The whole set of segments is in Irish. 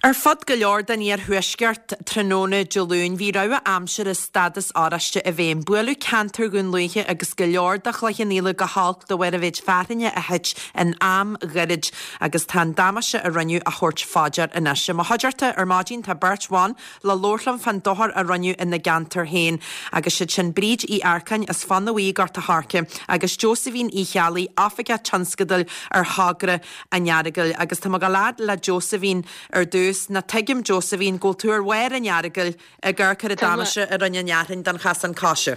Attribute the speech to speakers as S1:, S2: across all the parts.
S1: Ar fud go leor den iarthuaisceart tráthnóna Dé Luain bhí rabhadh aimsire stádas oráiste i bhfeidhm. Buaileadh ceantar Dhún Lúiche agus go leor de Chloich Cheann Fhaola go holc de bharr an mhéid fearthainne a thit in am ghairid agus tá an damáiste a rinneadh á thabhairt fá dear anois. I mo chuideachta ar maidin tá beirt bhan le labhairt liom fán dochar a rinneadh ina gceantar féin agus siad sin Bríd Uí Earcáin as Fána Bhuí i nGort a' Choirce agus Josephine Uí Cheallaigh, Oifigeach Tionscadail ar Thogra an Earagail agus tá mé ag gabháil fhad le Josephine ar dtús. Ná tuigim Josephine go bhfuil tú ar bharr an Earagail ag amharc ar an damáiste a rinne an fhearthainn don chasán coise.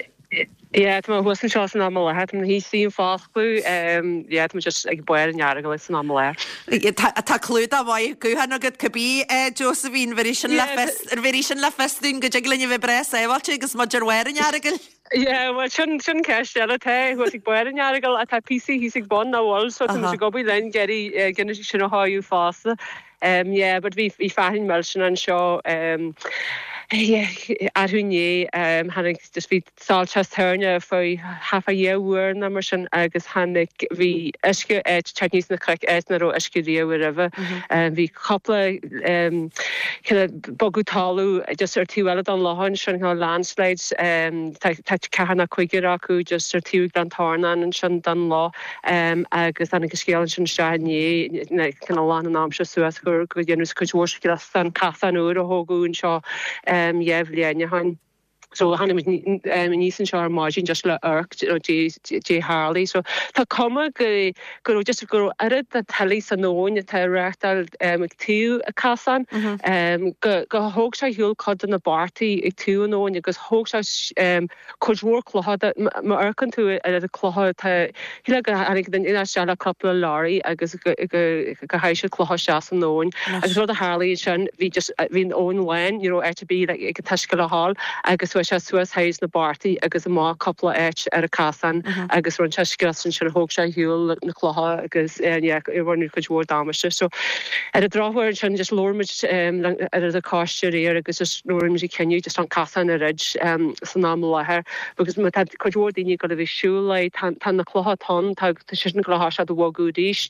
S2: Yeah, tá mé thuas anseo san am i láthair, tá mé thíos faoin foscadh, yeah, tá mé just ag barr an Earagail san am i
S1: láthair. Tá clúdach maith gutháin agat cibé, Josephine, bhéarfaidh sin le fios, bhéarfaidh sin le fios dúinn go dtig linn a bheith breá sábháilte agus muid ar bharr an Earagail.
S2: Yeah, bhuel sin, sin ceist eile. Tá thuas ag barr an Earagail ach tá píosaí thíos ag bun nach bhfuil so tá muid ag obair linn ag iarraidh gin sin a shóitheadh fosta. Um yeah, but bhí, bhí fearthainn millteanach anseo um yeah, arú inné um tháinig just bhí soilseach toirne faoi half a dhá uair nó mar sin agus tháinig, bhí uisce ag teacht aníos na cnoic áit nach raibh uisce riamh roimhe. Um bhí cúpla um kind of bogadh talamh just ar taobh eile don loch ansin, kind of landslides, tá ceathrar nó cúigear acu just ar taobh Ghleann Tornáin ansin don loch agus tháinig an scéal ansin isteach inné, kind of lán an am seo suas gur gur deineadh cuid mhór scrios den casán úr a thógadh anseo 2 bhliain ó shin. So tháinig muid aníos anseo ar maidin just le amharc dé tharlaigh. So tá cuma go go raibh just go raibh oiread de tuile san abhainn atá ag reachtáil ag taobh an casán go go thóg sé ar shiúl cuid de na bartaí ag taobh an abhainn agus thóg sé cuid mhór clocha de má amharcann tú ar na clocha tá shílfeá go tháinig duine isteach le cúpla leoraí agus go go go sháigh siad clocha isteach san abhainn agus rud a tharlaigh ansin bhí just bhí an abhainn lán ní raibh áit ar bith ag an t-uisce le ghabháil agus chuaigh sé suas thairis na bartaí agus amach cúpla áit ar an casán agus rinne sé scrios ansin thóg sé ar shiúl na clocha agus yeah rinne cuid mhór damáiste so ar an drochuair ansin just labhair muid ar an coiste aréir agus just rinne muid an cinneadh just an casán a dhruid san am i láthair agus má tá cuid mhór daoine ag dul a bheith ag siúl air tá tá na clocha atá ann tá tá sé sin ag dul a thoiseacht a bhogadh arís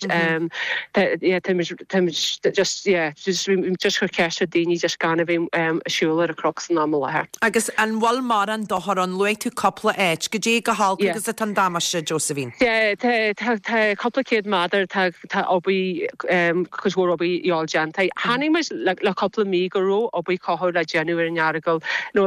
S2: tá yeah tá muid tá muid just yeah just just cur ceist ar daoine just gan a bheith ag siúl ar an chnoc san am i láthair.
S1: Agus an bhfuil mórán dochar ann? Luaigh tú cúpla áit. Goidé chomh holc agus atá an damáiste, Josephine?
S2: Yeah tá tá tá cúpla céad méadar tá tá obair cuid mhór obair a fháil déanta. Chonaic muid le le cúpla mí go raibh obair cothabhála le déanamh ar an Earagail. Nó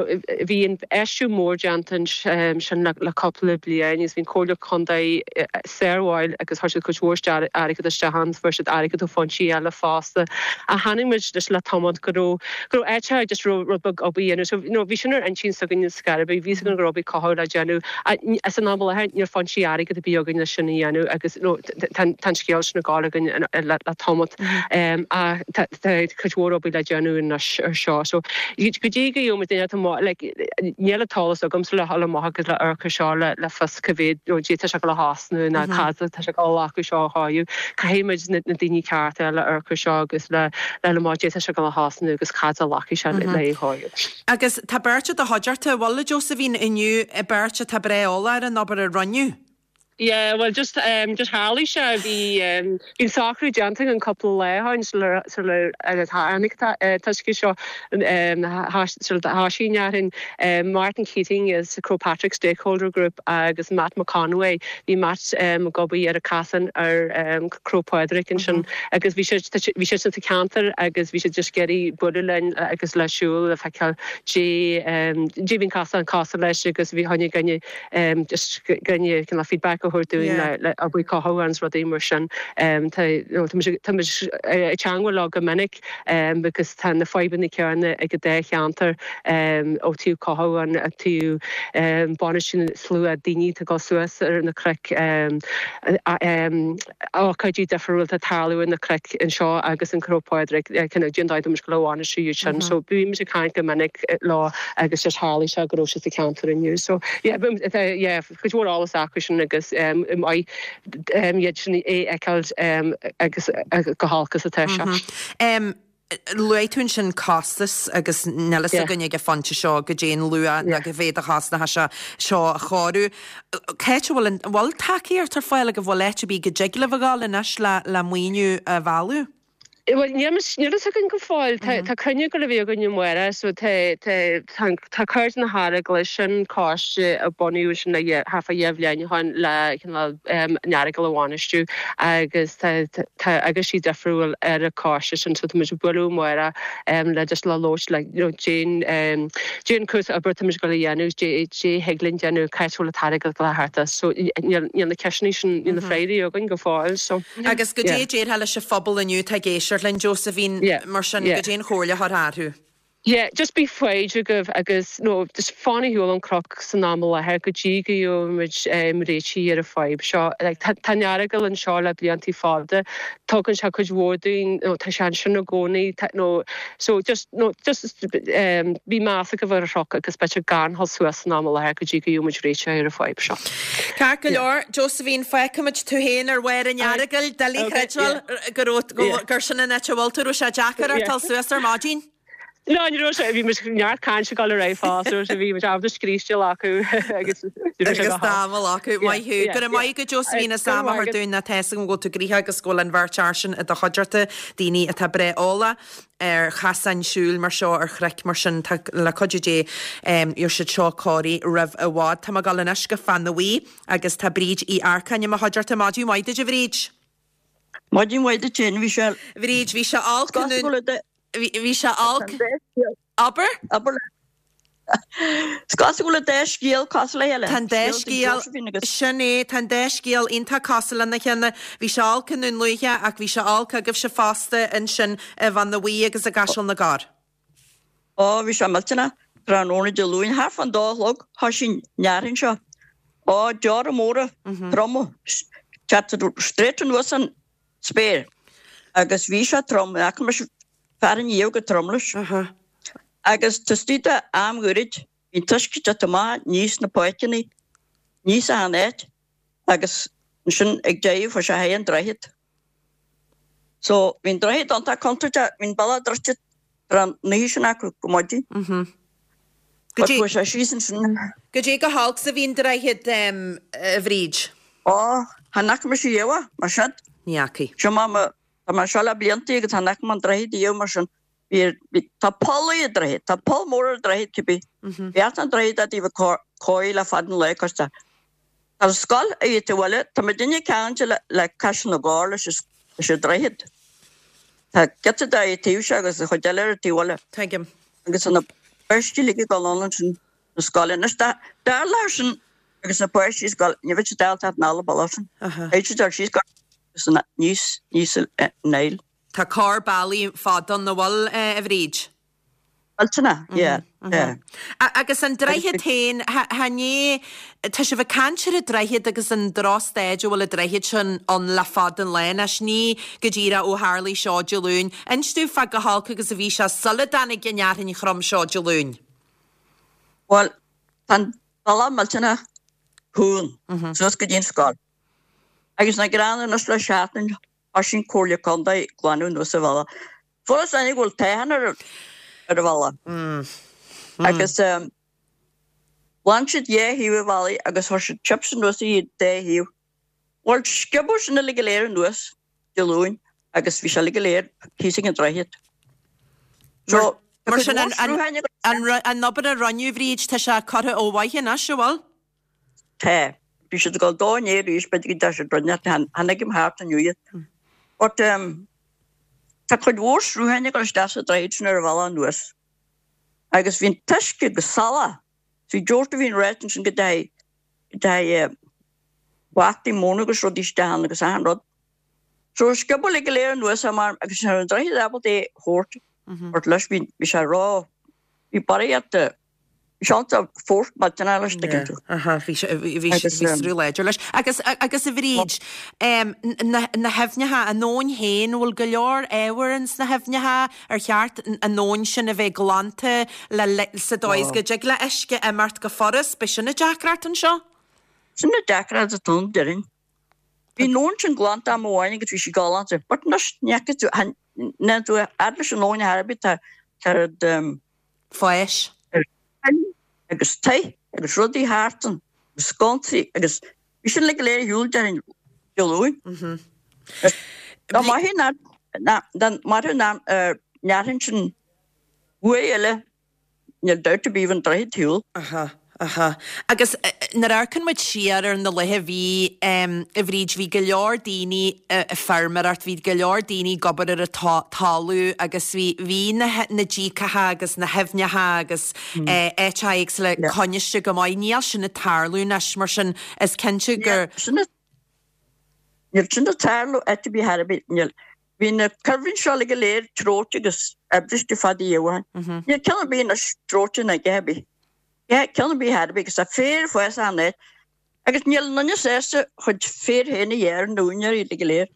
S2: bhí infheistiú mór déanta ansin le le cúpla bliain agus bhí an Comhairle Contae sármhaith agus chuir siad cuid mhór airgead isteach ann, fuair siad airgead ó foinsí eile fosta. Ach chonaic muid just le tamall go raibh go raibh áiteacha just raibh rud beag obair a dhéanamh. So you know bhí sin ar intinn s'againn ar scor ar bith, bhí fhios againn go raibh obair cothabhála le déanamh. Ach san am i láthair níl foinsí airgead ar bith againn le sin a dhéanamh agus you know tá an scéal sin ag gabháil againn le tamall. Ach tá cuid mhór obair le déanamh anois ar seo. So go dtí go gheobhaidh muid duine atá like níl an t-eolas agamsa le dhul amach agus le amharc ar seo le fios cá mhéad nó goidé tá sé ag dul a chosnú nó cad tá sé ag dul a ghlacadh seo a chóiriú. Caithfidh muid na daoine cearta le amharc ar seo agus le le amach goidé tá sé ag dul a chosnú agus cad a ghlacfaidh sé le é a chóiriú.
S1: Agus tá beirt i do chuideachta, an bhfuil a Josephine inniu, beirt atá breá eolach ar an obair a rinneadh.
S2: Yeah, bhuel just um just tharlaigh sé, bhí um bhí an socrú déanta againn cúpla lá ó shin sular sular tháinig an t-uisce seo um sular thoisigh an fhearthainn. Um Martin Keating as Croagh Patrick Stakeholder Group agus Matt McConway, bhí Matt um ag obair ar an casán ar um Croagh Padraig ansin agus bhí siad bhí siad sa cheantar agus bhí siad just ag iarraidh bualadh linn agus le siúl le feiceáil goidé um goidé bhí an casán cosúil leis agus bhí choinne duine just cineál feedback a thabhairt dúinn le obair cothabhála agus rudaí mar sin. Tá muid tá muid ag teangmháil leo go minic agus tá na fadhbanna céanna ag an dá cheantar ó taobh cothabhála ó taobh bainistiú slua daoine atá ag dul suas ar na cnoic. ócáidí difriúla atá ag tarlú ar na cnoic anseo agus in Croagh Padraig, kind of cén dóigh atá muid ag dul a bhainistiú iad sin. So bímid ag caint go minic leo agus just tharlaigh sé go raibh siad sa cheantar inniu. So yeah, yeah, cuid mhór eolas acu sin agus maith iad sin é fheiceáil agus chomh holc is atá
S1: sé. Luaigh tú ansin costas agus níl fhios againn ag an phointe seo goidé an luach ná cá mhéad a chosnóidh sé seo a chóiriú. Cá háit a bhfuil an, bhfuil tacaíocht ar fáil agaibh, bhfuil áit ar bith go dtig libh a ghabháil anois le, le maoiniú a mhealladh?
S2: Bhuel, níl níl fhios againn go fóill. Tá tá cruinniú ag dul a bheith againn amárach so tá tá tá tá Cairde na hEaragaile sin coiste a bunaíodh ansin le dhá thart fá dhá bhliain ó shin le cineál an Earagail a bhainistiú agus tá tá eagraisí difriúil ar an choiste sin so tá muid ag bualadh amárach le just le labhairt le you know cén cén cúrsa oibre tá muid ag dul a dhéanamh cé cé thig linn déanamh cá háit a bhfuil an t-airgead ag dul a theacht as so níl níl na ceisteanna sin níl na freagraí againn go fóill so.
S1: Agus goidé a déarfá leis an phobal inniu atá ag éisteacht linn, Josephine, mar sin, goidé an chomhairle a thabharfá orthu?
S2: Yeah, just bí foighid agaibh agus nó just fan ar shiúl ón chnoc san am i láthair go dtí go gheobhaimid réitigh ar an fadhb seo. Like, tá tá an Earagail anseo le bliantaí fada, tugann sé cuid mhór dúinn, nó tá sé ansin i gcónaí, tá nó so just nó just bí meas agaibh ar an chnoc agus b'fhéidir gan dhul suas san am i láthair go dtí go gheobhaimid réiteach ar an fadhb seo.
S1: Ceart go leor, Josephine, fágfaimid tú féin ar bharr an Earagail, doiligh a chreidbheáil go raibh, gur sin an áit a bhfuil tú, raibh sé deacair ort dul suas ar maidin?
S2: No, ní raibh sé, bhí muid neart cainte ag dul ar aghaidh fosta, raibh sé, bhí muid ábalta scríste acu agus ní raibh sé
S1: Agus
S2: go holc.
S1: tamall acu, maith thú. Go raibh maith agat Josephine as am a thabhairt dúinn, tá fhios agam go bhfuil tú gnoitheach agus go bhfuil an bheirt fhear sin i do chuideachta, daoine atá breá eolach. ar chasáin siúil mar seo, ar chnoic mar sin, tá, le cuidiú Dé, gheobhaidh siad seo cóirithe roimh i bhfad. Tá mé ag dul anois go Fánabhuí agus tá Bríd Uí Earcáin i mo chuideachta. Maidin mhaith duit a Bhríd.
S3: Maidin mhaith duit féin, bhí sé.
S1: Bhríd, bhí sé olc i nDún, bhí sé olc, abair?
S3: Abair leat. Is cosúil go bhfuil an dá scéal cosúil le chéile.
S1: Tá an dá scéal, sin é, tá an dá scéal iontach cosúil lena chéile. Bhí sé olc i nDún Lúiche ach bhí sé olc agaibhse fosta ansin i bhFánabhuí agus i gCaiseal na gCorr.
S3: Ó, bhí sé millteanach tráthnóna Dé Luain, thart fán dó a chlog, thoisigh an fhearthainn seo. Ó, deora móra, troma, teacht straight anuas an spéir. Agus bhí sé trom, ní fhaca mise fearthainn riamh chomh trom leis. Agus taobh istigh de am ghairid, bhí an t-uisce ag teacht amach aníos na páirceanna, aníos achan áit, agus ansin ag deireadh fuair sé thar an droichead. So, bhí an droichead iontach contúirteach, bhí an bealach druidte tráth an oíche sin acu go maidin. But chuaigh sé síos ansin.
S1: Goidé chomh holc 's a bhí an droichead, a Bhríd?
S3: Ó, chan fhaca mise riamh é mar sin.
S1: Ní fhacaidh.
S3: Seo mar mo, tá mé anseo le blianta agus chan fhaca mé an droichead riamh mar sin. Bhí, bhí, tá poll ar an droichead, tá poll mór ar an droichead cibé. Bhí an droichead i dtaobh cóirithe le fada an lá cos tá, tá an scoil ar an taobh eile, tá muidinne ceangailte le, le Caiseal na gCorr leis an, leis an droichead. Tá giota de ar an taobh seo agus an chuid eile ar an taobh eile.
S1: Tuigim.
S3: Agus tá na páistí uilig ag dul ann ansin na scoile. Anois dá, dtarlódh sin agus na páistí ag scoil, ní bheadh siad ábalta teacht anall an bealach sin. Beidh siad ar síos go, agus aníos, aníos an aill.
S1: Tá cor bealaigh fada ann, an bhfuil, a Bhríd?
S3: Millteanach, yeah, yeah.
S1: Agus an droichead féin, chan é, tá sibh ag caint ar an droichead agus an drochstaid a bhfuil an droichead sin ann le fada an lá anois, ní go díreach ó tharlaigh seo Dé Luain. Inis domh fá chomh holc agus a bhí sé sula dtáinig an fhearthainn throm seo Dé Luain.
S3: Bhuel, tá an bealach millteanach cúng suas go dtí an scoil. Agus nach gránna anois le seachtain Thoisigh an Comhairle Contae ag glanadh anuas an bhealach. Fuarthas aithne go bhfuil toghchán ar ar an bhealach. Agus ghlan siad dhá thaobh an bhealaigh agus chuir siad chips anuas ar an dá thaobh. Bhuel, sciobadh sin uilig go léir anuas Dé Luain agus bhí sé uilig go léir thíos ag an droichead.
S1: So, Mar sin an an obair a rinneadh, Bhríd, tá sé curtha ó mhaith anois, an bhfuil?
S3: Tá. Bhí siad ag dul dó inné arís, b'fhéidir go dté siad rinne, tháinig im thart inniu iad. But um, tá cuid mhór srutháin ag dul isteach sa droichead sin ar an bhealach anuas. Agus bhí an t-uisce go salach. Bhí deort a bhíonn ráite ansin go dteachaidh, go dteachaidh eh, bataí móna agus rudaí isteach ann agus achan rud. So sciobadh uilig go léir anuas é mar agus ní raibh an droichead ábalta é a thabhairt. But leis bhí, bhí sé ró, bhí barraíocht de Seans a fórt maidin leis tuigeann tú.
S1: Aha, bhí sé, bhí bhí Agus, bhí sruth láidir leis. Agus, agus a Bhríd, em, na, na haibhneacha, an abhainn féin, bhfuil go leor ábhair ins na haibhneacha ar cheart an abhainn sin a bheith glanta le, le, sa dóigh is go dtig le uisce imeacht go furast, b'é sin an deacracht anseo?
S3: Sin an deacracht atá ann, déarfainn. Bhí an abhainn sin glanta am amháin agus bhí sí galánta. But anois, ní fhaca tú, chan, níl tú fhad leis an abhainn ar bith, tá, tá rud, em,
S1: Fáis.
S3: Agus tithe agus rudaí thart ann agus sconsaí agus bhí sin uilig go léir ar shiúl déarfainn Dé Luain. Dá maith é ná. Dá mairfeadh an fhearthainn sin uair eile Níl dabht ar bith bheadh an droichead ar shiúl.
S1: Aha, aha. Agus nuair a amharcann muid siar ar na laethe a bhí, a Bhríd, bhí go leor daoine ag feirmeoireacht, bhí go leor daoine ag obair ar an talamh agus bhí, bhí na, na díocacha agus na haibhneacha agus áiteacha éagsúla coinniste go maith. Níl sin ag tarlú anois, mar sin is cinnte gur.
S3: Níl sin ag tarlú áit ar bith ar bith, níl. Bhí na cuibhrinn seo uilig go léir treoite agus oibriste fada ó shin. Níl ceann ar bith anois treoite ná a dhath ar bith. Ceann ar bith ar bith agus tá féar ag fás achan áit agus níl aon duine sásta a chuid féir féin a ghearradh na úinéirí uilig go léir.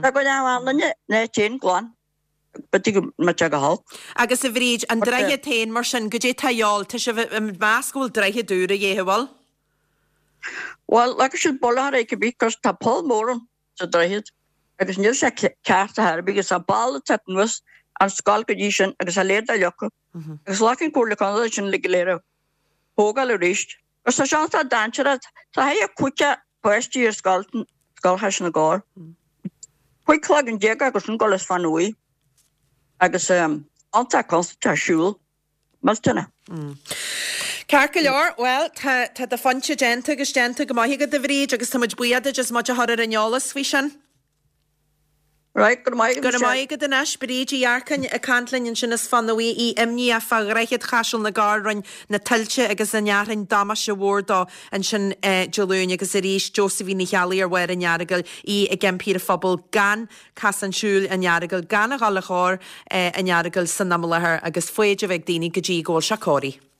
S3: Tá go leor aon duine an áit féin glan b'fhéidir go mbeadh sé go holc.
S1: Agus a Bhríd, an droichead féin mar sin, goidé tá a dhíobháil, tá sibh ag meas go bhfuil droichead úr a dhíth, an bhfuil?
S3: Bhuel, leagfaidh siad brollach ar é cibé cos tá poll mór ann. sa droichead agus níl sé ceart ar chor ar bith agus tá balla ag teacht anuas an scoil go dtí sin agus a leithéid de locha agus ghlac an Comhairle Contae sin uilig go léir a thógáil arís agus tá sé iontach dainséarach tá thigh cúigear páistí ar scoil Scoil Chaiseal na gCorr 15 cloigeann agus sin dul as fan uaidh agus iontach contúirteach siúl. Millteanach.
S1: Ceart go leor, bhuel, tá, tá do phointe déanta agus déanta go maith agat, a Bhríd, agus tá muid buíoch duit as muid a chur ar an eolas faoi sin.
S3: Right, go raibh maith agat,
S1: Go raibh maith agat anois, Bríd Uí Earcáin ag caint linn ansin as Fionn Bhuí, í imníoch fá Dhroichead Chaiseal na gCorr, rinne na tuilte agus an fhearthainn damáiste mhór dó ansin Dé Luain agus arís Josephine Ní Cheallaigh ar Bharr an Earagail, í ag impí ar an phobal gan casán siúil an Earagail, gan a dhul ar thóir an Earagail san am i láthair agus foighid a bheith ag daoine go dtí go bhfuil sé cóirithe.